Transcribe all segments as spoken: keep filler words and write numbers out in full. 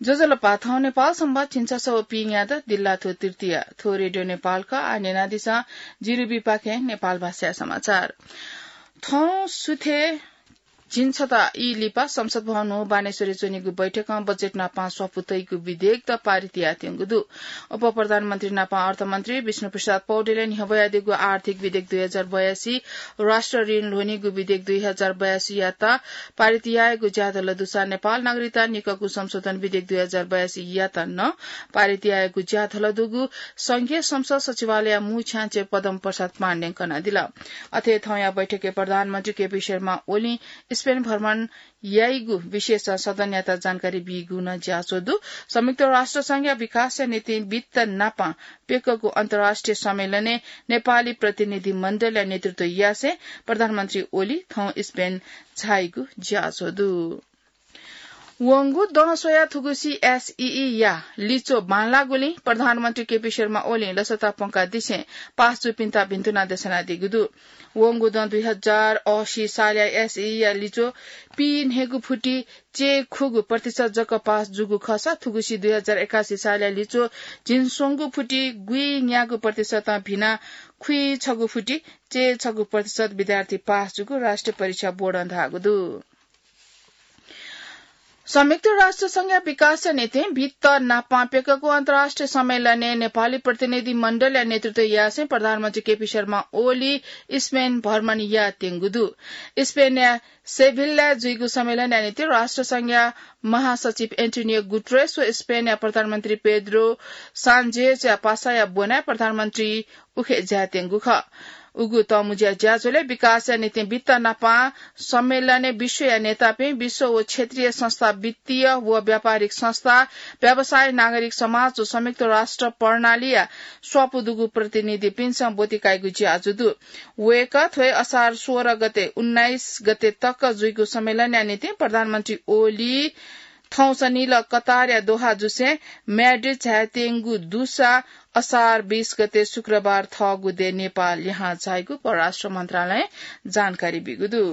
ज्वजलपा, थौं नेपाल संवत् झिंछसः व पीन्यादँ, दिल्लाथ्व तृतीया। थ्व रेडियो नेपाल खः। आः न्यनादिसँ जिरुबीपाखें नेपाल भाषाया समाचार। थौं सुथय् झिंछता ई लिपा संसद भवन न्हू बानेश्वरय् च्वनीगु बैठकं बजेट नापं स्वापू तइगु विधेयकत पारित यायेत्यंगु दु। उपप्रधानमन्त्री नापं अर्थमन्त्री विष्णुप्रसाद पौडेलय् न्ह्यब्वयादीगु आर्थिक विधेयक दुई हजार बयासी, राष्ट्र ऋण ल्ह्वनीगु विधेयक दुई हजार बयासीयात पारित यायेगु ज्याझ्वः दुसा नेपाल नागरिकता निकःगु संशोधन विधेयक दुई हजार बयासीयात नं पारित यायेगु ज्याझ्वः दुगु संघीय संसद सचिवालयया मू छ्याञ्चे पद्म प्रसाद पाण्डें कनादिल। अथे थौंया बैठकय् प्रधानमन्त्री केपी शर्मा ओलीं स्पेन भ्रमण याइगु विषयस सदनयात जानकारी बीगु नं ज्याझ्वः दु। संयुक्त राष्ट्र संघया विकासया निंतिं वित्त नापं प्यकःगु अन्तर्राष्ट्रिय सम्मेलनय् नेपाली प्रतिनिधि मण्डलया नेतृत्व यासें प्रधानमन्त्री ओली थौं स्पेन झाइगु ज्याझ्वः दु। वंगु दँ स्वयाः थुगुसी एसईई या लिच्वः बांलाःगुलिं प्रधानमन्त्री केपी शर्मा ओलीं लसता प्वंकादिसें पास जूपिन्त भिन्तुना देछानादीगु दु। वंगु दँ दुई हजार असी सालया एसईई या लिच्वः पीन्हय्गू फुति चय्खुगू प्रतिशत जक पास जूगु खःसा थुगुसी दुई हजार एकासी सालया लिच्वः झिंस्वंगू फुति गुइन्यागू प्रतिशतं भिनाः खुइछगू फुति चय्छगू प्रतिशत विद्यार्थी पास जूगु राष्ट्रिय परीक्षा बोर्डं धाःगु दु। संयुक्त राष्ट्र संघया विकासया निंतिं वित्त नापं प्यकःगु अन्तर्राष्ट्रिय सम्मेलनय् नेपाली प्रतिनिधि मण्डलया नेतृत्व यासें प्रधानमन्त्री केपी शर्मा ओली स्पेन भ्रमण यायेत्यंगु दु। स्पेनया सेभिल्लाय् जुइगु सम्मेलनया निंतिं राष्ट्र संघया महासचिव एन्टोनियो गुटरेस व स्पेनया प्रधानमन्त्री पेद्रो सान्चेजया पासाया ब्वनाय् प्रधानमन्त्री उखे झायेत्यंगु खः। उगु तःमुँज्या ज्याझ्वलय् विकासया निंतिं वित्त नापं सम्मेलनय् विश्वया नेतापिं, विश्व व क्षेत्रीय संस्था, वित्तीय व व्यापारिक संस्था, व्यवसाय, नागरिक समाज व संयुक्त राष्ट्र प्रणालीया स्वापू दुगु प्रतिनिधिपिन्सं ब्वति काइगु ज्याझ्वः दु। वय्कः थ्व हे असार सोह्र गते उन्नाइस गते तक जुइगु सम्मेलनया निंतिं प्रधानमन्त्री ओली थौंसनिल कतारया दोहा जुसें म्याड्रिड झायेत्यंगु दुसा असार बीस गते शुक्रबार थःगु देय् नेपाल लिहां झाइगु परराष्ट्र मन्त्रालयं जानकारी बीगु दु।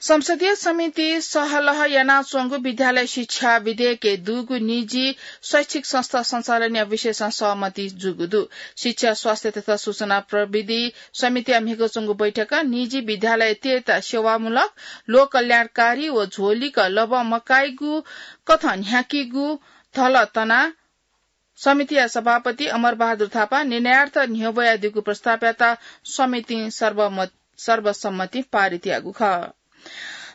संसदीय समितिं सहलह यानाच्वंगु विद्यालय शिक्षा विधेयकय् दुगु निजी शैक्षिक संस्था सञ्चालनया विषयसं सहमति जूगु दु। शिक्षा, स्वास्थ्य तथा सूचना प्रविधि समितिया म्हिगः च्वंगु बैठकं निजी विद्यालयतय्त सेवामूलक, लोककल्याणकारी व झोलिक लबं मकाइगु कथं न्ह्याकीगु धल तना समितिया सभापति अमर बहादुर थापां निर्णयार्थ न्ह्यब्वयादीगु प्रस्तावयात समितिं सर्वमत-, सर्वसम्मतिं पारित याःगु खः।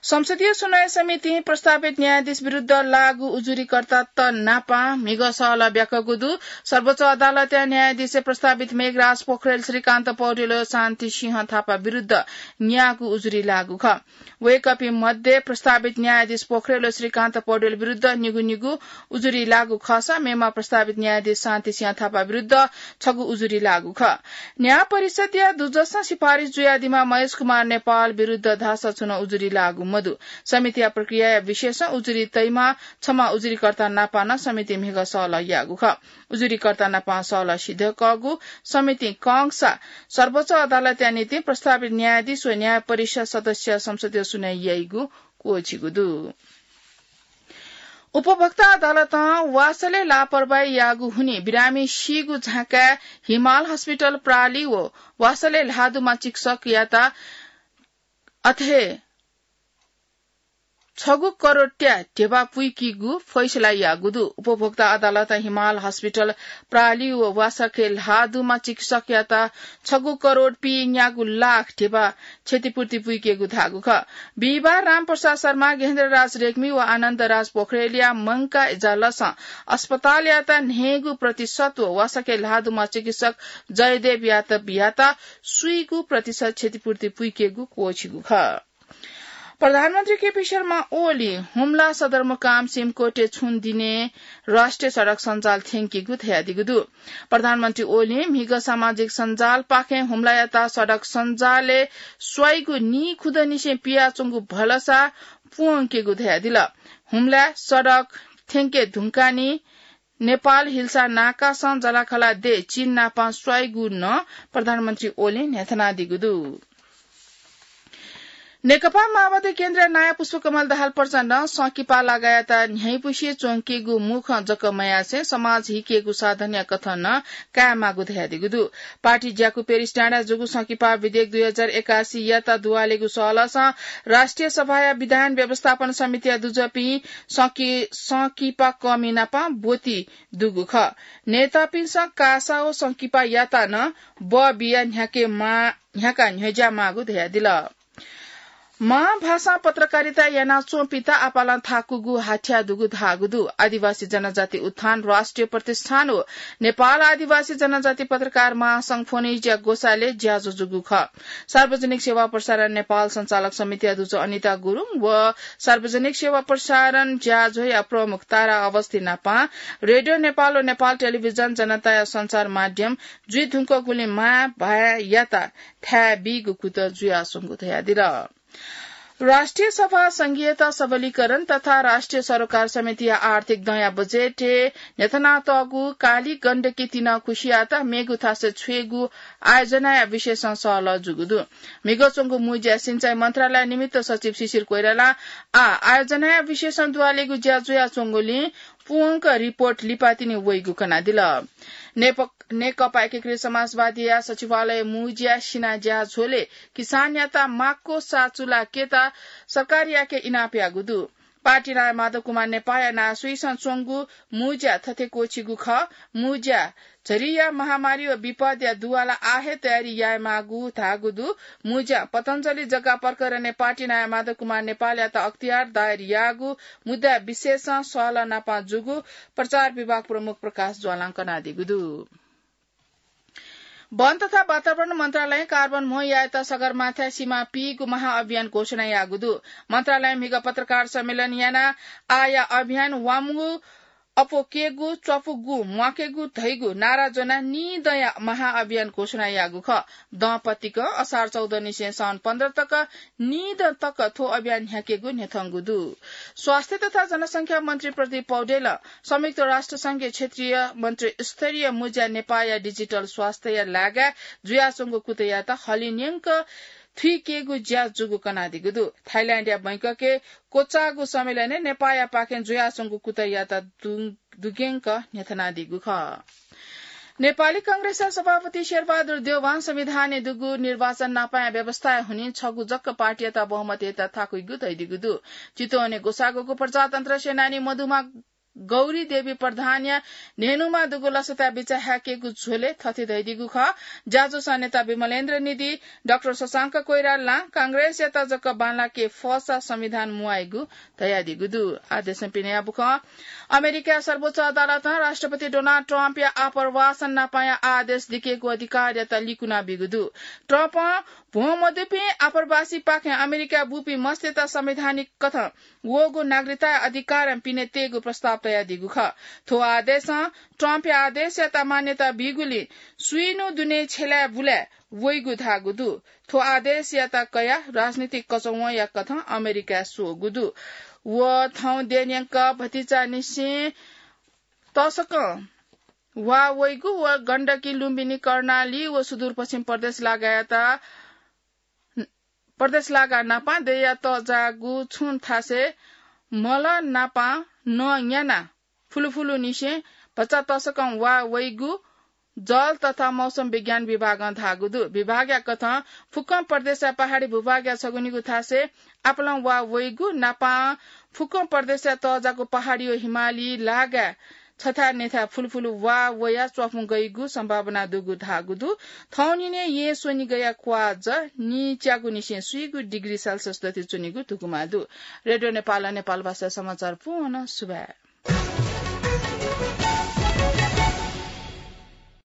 संसदीय सुनवाई समितिं प्रस्तावित न्यायाधीश विरुद्ध लागू उजुरीकर्तात नापं म्हिगः सहलह ब्याकःगु दु। सर्वोच्च अदालतया न्यायाधीशय् प्रस्तावित मेघराज पोखरेल, श्रीकान्त पौडेल व शान्ति सिंह थापा विरुद्ध न्यागू उजुरी लागू खः। वय्कःपिं मध्ये प्रस्तावित न्यायाधीश पोखरेल व श्रीकान्त पौडेल विरुद्ध निगू निगू उजुरी लागू खःसा मेम्ह प्रस्तावित न्यायाधीश शान्ति सिंह थापा विरुद्ध छगू उजुरी लागू खः। न्याय परिषद्या दुजसं सिफारिस जुयादीम्ह महेश कुमार नेपाल विरुद्ध धाःसा छुं नं उजुरी लागू मदु। समितिया प्रक्रियाया विषयसं उजुरी तइम्ह छम्ह उजुरीकर्ता नापं नं समितिं म्हिगः सहलह याःगु खः। उजुरीकर्ता नापं सहलह सिधय्कःगु समितिं कंसा सर्वोच्च अदालतया निंतिं प्रस्तावित न्यायाधीश व न्याय परिषद सदस्य संसदीय सुनवाई याइगु क्वःछिगु दु। उपभोक्ता अदालतं वासलय् लापरवाही याःगु हुनिं बिरामी सीगु झाँक्रीया हिमाल हस्पिटल प्रालि व वासलय् ल्हाः दुम्ह चिकित्सकयात अथे छगू करोडया ध्यबा पुइकेगु फैसला याःगु दु। उपभोक्ता अदालतं हिमाल हस्पिटल प्रालि व वासलय् ल्हाः दुम्ह चिकित्सकयात छगू करोड पीन्यागू लाख ध्यबा क्षतिपूर्ति पुइकेगु धाःगु खः। बिहिबार रामप्रसाद शर्मा, गेहेन्द्रराज रेग्मी व आनन्दराज पोखरेलया मंकाः इजालसं अस्पतालयात न्हय्गू प्रतिशत व वासलय् ल्हाः दुम्ह चिकित्सक जयदेव यादवयात स्वीगू प्रतिशत क्षतिपूर्ति पुइकेगु क्वःछिगु खः। प्रधानमन्त्री केपी शर्मा ओलीं हुम्ला सदरमुकाम सिमकोटय् छुं दिनय् राष्ट्रिय सडक सञ्जाल थ्यंकीगु धयादीगु दु। प्रधानमन्त्री ओलीं म्हिगः सामाजिक सञ्जालपाखें हुम्लायात सडक सञ्जालय् स्वाइगु नीखुदँनिसें पियाच्वंगु भलसा प्वंकेगु धयादिल। हुम्लाय् सडक थ्यंके धुंकाः नि नेपाल हिल्सा नाकासं जलाखला देय् चीन नापं स्वाइगु नं प्रधानमन्त्री ओलीं न्ह्यथनादीगु दु। नेकपा माओवादी केन्द्रया नायः पुष्पकमल दाहाल प्रचण्डं संकिपा लागायात न्ह्याइपुसे च्वंकेगु मुखं जक मयासें समाज हिकेगु साधनया कथं नं कायेमाःगु धयादीगु दु। पार्टी ज्याकू पेरिस डाँडाय् जूगु संकिपा विधेयक दुई हजार एकासी यात दुवालेगु सहलहसं राष्ट्रिय सभाया विधान व्यवस्थापन समितिया दुजःपिं संकि-, संकिपा कःमि नाप ब्वति दुगु खः। नेतापिन्सं कासा व संकिपा यात नं बः बियाः न्ह्याके मा-, न्ह्याका न्ह्यज्या माःगु धयादिल। मां भाषां पत्रकारिता यानाच्वंपिन्त आपालं थाकुगु हाथ्या दुगु धाःगु दु। आदिवासी जनजाति उत्थान राष्ट्रिय प्रतिष्ठान व नेपाल आदिवासी जनजाति पत्रकार महासंघ फोनिज्या ग्वसालय् ज्याझ्वः जूगु खः। सार्वजनिक सेवा प्रसारण नेपाल सञ्चालक समितिया दुजः अनिता गुरुङ व सार्वजनिक सेवा प्रसारण ज्याझ्वःया प्रमुख तारा अवस्थी नापं रेडियो नेपाल व नेपाल टेलिभिजन जनताया सञ्चार माध्यम जुइ धुंकूगुलिं मां भाय्‌यात थाय् बीगु कुतः जुयाच्वंगु धयादिल। राष्ट्रिय सभा संघीयता सबलीकरण तथा राष्ट्रिय सरोकार समितिया आर्थिक दँया बजेटय् न्ह्यथनातःगु काली गण्डकी तिना खुसियात मेगु थासय् छ्वयेगु आयोजनाया विषयसं सहलह जूगु दु। म्हिगः च्वंगु मुँज्या सिँचाइ मन्त्रालय निमित्त सचिव शिशिर कोइरालां आः आयोजनाया विषयसं दुवालेगु ज्या जुयाच्वंगुलिं पूवंक रिपोर्ट लिपातिनि वइगु कनादिल। नेप-, नेकपा एकीकृत समाजवादीया सचिवालय मुँज्या सिनाज्या झ्वलय् किसानयात माक्व साचुलाकेत सरकारयाके इनाप याःगु दु। पार्टी नायः माधव कुमार नेपाःया नासुइसं च्वंगु मुँज्या थथे क्वःछिगु खः। मुँज्या झरीया महामारी व विपदया दुवाला आः हे तयारी यायेमाःगु धाःगु दु। मुँज्या पतञ्जलि जग्गा प्रकरणय् पार्टी नायः माधव कुमार नेपालयात अख्तियार दायर याःगु मुद्दा विषयसं सहलह नापं जूगु प्रचार विभाग प्रमुख प्रकाश ज्वालां कनादीगु दु। वन तथा वातावरण मन्त्रालयं कार्बन म्हो यायेत सगरमाथाय् सिमा पीगु महाअभियान घोषणा याःगु दु। मन्त्रालयं म्हिगः पत्रकार सम्मेलन यानाः आःया अभियान वांगु अप्वकेगु, च्वापुगु, म्वाकेगु धइगु नारा ज्वनाः निदँया महाअभियान घोषणा याःगु खः। दँपतिकं असार चौध निसें साउन पन्ध्र तक निदँ तक थ्व अभियान न्ह्याकेगु न्ह्यथंगु दु। स्वास्थ्य तथा जनसंख्या मन्त्री प्रदीप पौडेलं संयुक्त राष्ट्र संघया क्षेत्रीय मन्त्री स्तरीय मुँज्या नेपाःया डिजिटल स्वास्थ्यया लागाय् जुयाच्वंगु कुतःयात हलिंन्यंक थुइकेगु ज्या जूगु कनादीगु दु। थाइल्याण्डया बैंककय् क्वचाःगु सम्मेलनय् नेपाःयापाखें जुयाच्वंगु कुतःयात दु-, दुग्यंक न्ह्यथनादीगु खः। नेपाली कांग्रेसया सभापति शेरबहादुर देउवां संविधानय् दुगु निर्वाचन नापाया व्यवस्थाया हुनिं छगू जक पार्टीयात बहुमत यायेत थाकुइगु धयादीगु दु। चितवनय् ग्वसाः ग्वःगु प्रजातन्त्र सेनानी मधुमा गौरी देवी प्रधानया न्हय्‌नुमा दुगु लसताय् बिचाः हाय्‌केगु झ्वलय् थथे धयादीगु खः। ज्याझ्वःसं नेता विमलेन्द्र निधि, डाक्टर शशांक कोइरालां कांग्रेसयात जक बांलाके फःसा संविधान म्वाइगु धयादीगु दु। आः देशं पिने याःगु खः। अमेरिकाया सर्वोच्च अदालतं राष्ट्रपति डोनाल्ड ट्रम्पया आप्रवासन नापाया आदेश दिकेगु अधिकारयात लिकुना बीगु दु। ट्रम्पं भ्वं मदुपिं आप्रवासीपाखें अमेरिकाय् बूपिं मस्तय्‌त संवैधानिक कथं वःगु नागरिकताया अधिकारं पिने तयेगु प्रस्ताव तयादीगु खः। थ्व आदेशं ट्रम्पया आदेशयात मान्यता बीगुलिं सुइन्हु दुने छ्यलाय् बुलाय् वइगु धाःगु दु। थ्व आदेशयात कयाः राजनीतिक कचंवंया कथं अमेरिकाय् स्वःगु दु। व थौं देय्‌न्यंक भतिचानिसें तसकं वा वइगु व गण्डकी लुम्बिनी कर्णाली व सुदूरपश्चिम प्रदेश लागायत प्रदेश लागा नापां देय्‌या तःजाःगु छुं थासय् मल नापां नं न्यानाः फुलुफुलुनिसें भचा तसकं वा वइगु जल तथा मौसम विज्ञान विभागं धाःगु दु। विभागया कथं फुक्कं प्रदेशया पहाडी भूभागया छगुनिगू थासय् आपालं वा वइगु नापां फुक्कं प्रदेशया तःजाःगु पहाडी व हिमाली लागाय् छथाय् नथाय् फुलुफुलु वा वयाः च्वापुं गइगु सम्भावना दुगु धाःगु दु। थौंनिने येँ स्वनिगया क्वाःज नीच्यागुनिसें स्वीगु डिग्री सेल्सियस दथुइ च्वनीगु धुकुमा दु। रेडियो नेपालं नेपाल भाषा समाचार पूवं सुभाय्।